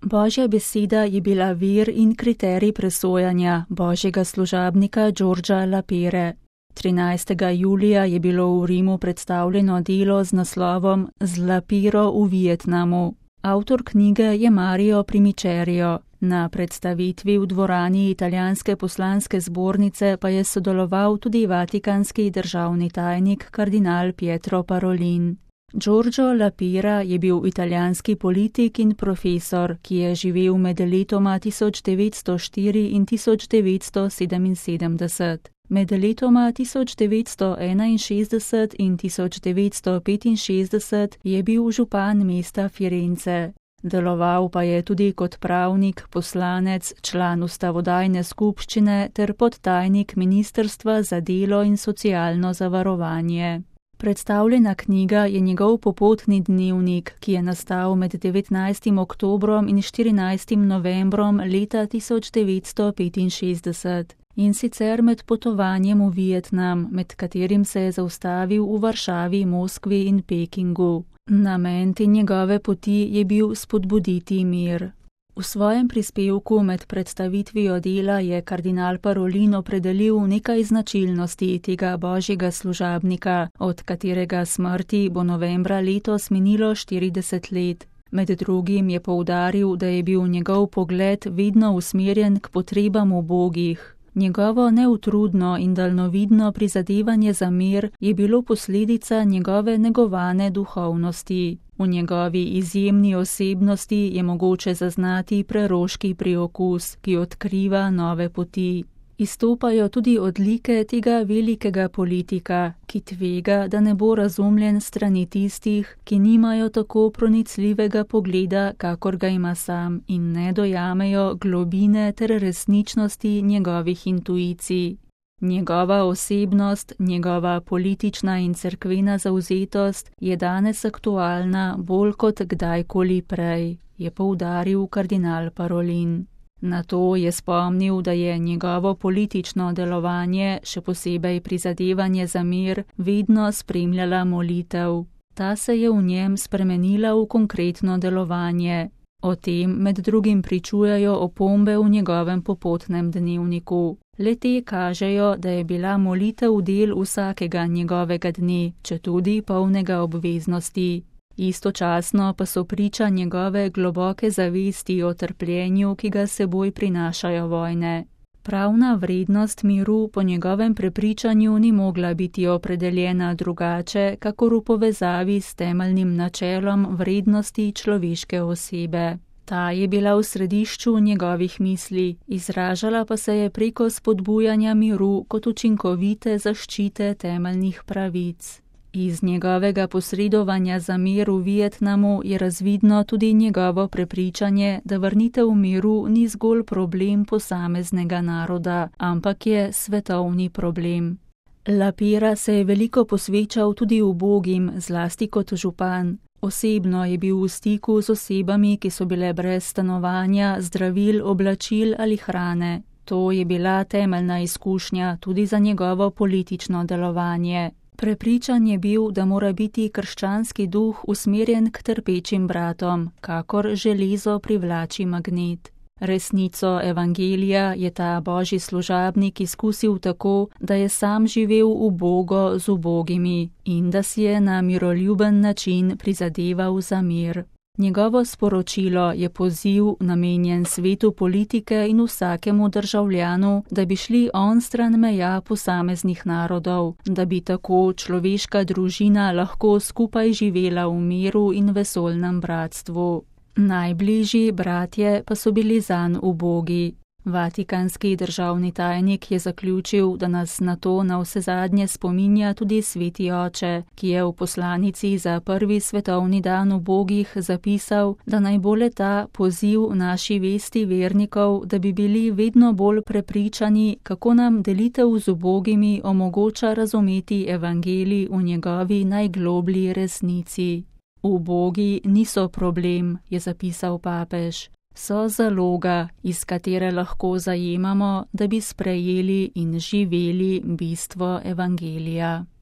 Božja beseda je bila vir in kriterij presojanja božjega služabnika Georgea Lapere. 13. julija je bilo v Rimu predstavljeno delo z naslovom Z Lapero v Vietnamu. Avtor knjige je Mario Primicerio. Na predstavitvi v dvorani italijanske poslanske zbornice pa je sodeloval tudi vatikanski državni tajnik kardinal Pietro Parolin. Giorgio Lapera je bil italijanski politik in profesor, ki je živel med letoma 1904 in 1977. Med letoma 1961 in 1965 je bil župan mesta Firence. Deloval pa je tudi kot pravnik, poslanec, član ustavodajne skupščine ter podtajnik Ministrstva za delo in socialno zavarovanje. Predstavljena knjiga je njegov popotni dnevnik, ki je nastal med 19. oktobrom in 14. novembrom leta 1965. In sicer med potovanjem v Vietnam, med katerim se je zaustavil v Varšavi, Moskvi in Pekingu. Namen te njegove poti je bil spodbuditi mir. V svojem prispevku med predstavitvijo dela je kardinal Parolin opredelil nekaj značilnosti tega božjega služabnika, od katerega smrti bo novembra letos minilo 40 let. Med drugim je poudaril, da je bil njegov pogled vedno usmerjen k potrebam ubogih. Njegovo neutrudno in daljnovidno prizadevanje za mir je bilo posledica njegove negovane duhovnosti. V njegovi izjemni osebnosti je mogoče zaznati preroški priokus, ki odkriva nove poti. Izstopajo tudi odlike tega velikega politika, ki tvega, da ne bo razumljen strani tistih, ki nimajo tako pronicljivega pogleda, kakor ga ima sam, in ne dojamejo globine ter resničnosti njegovih intuicij. Njegova osebnost, njegova politična in cerkvena zavzetost je danes aktualna bolj kot kdajkoli prej, je poudaril kardinal Parolin. Na to je spomnil, da je njegovo politično delovanje, še posebej prizadevanje za mir, vedno spremljala molitev. Ta se je v njem spremenila v konkretno delovanje. O tem med drugim pričujejo opombe v njegovem popotnem dnevniku. Le-te kažejo, da je bila molitev del vsakega njegovega dne, četudi polnega obveznosti. Istočasno pa so priča njegove globoke zavesti o trpljenju, ki ga seboj prinašajo vojne. Pravna vrednost miru po njegovem prepričanju ni mogla biti opredeljena drugače, kakor v povezavi s temeljnim načelom vrednosti človeške osebe. Ta je bila v središču njegovih misli, izražala pa se je preko spodbujanja miru kot učinkovite zaščite temeljnih pravic. Iz njegovega posredovanja za mir v Vietnamu je razvidno tudi njegovo prepričanje, da vrnitev miru ni zgolj problem posameznega naroda, ampak je svetovni problem. Lapera se je veliko posvečal tudi ubogim, zlasti kot župan. Osebno je bil v stiku z osebami, ki so bile brez stanovanja, zdravil, oblačil ali hrane. To je bila temeljna izkušnja tudi za njegovo politično delovanje. Prepričan je bil, da mora biti krščanski duh usmerjen k trpečim bratom, kakor železo privlači magnet. Resnico evangelija je ta božji služabnik izkusil tako, da je sam živel ubogo z ubogimi in da si je na miroljuben način prizadeval za mir. Njegovo sporočilo je poziv namenjen svetu politike in vsakemu državljanu, da bi šli onstran meja posameznih narodov, da bi tako človeška družina lahko skupaj živela v miru in vesoljnem bratstvu. Najbližji bratje pa so bili zanj ubogi. Vatikanski državni tajnik je zaključil, da nas na to navsezadnje spominja tudi sveti oče, ki je v poslanici za prvi svetovni dan ubogih zapisal, da naj bo le-ta poziv naši vesti vernikov, da bi bili vedno bolj prepričani, kako nam delitev z ubogimi omogoča razumeti evangelij v njegovi najgloblji resnici. Ubogi niso problem, je zapisal papež. So zaloga, iz katere lahko zajemamo, da bi sprejeli in živeli bistvo evangelija.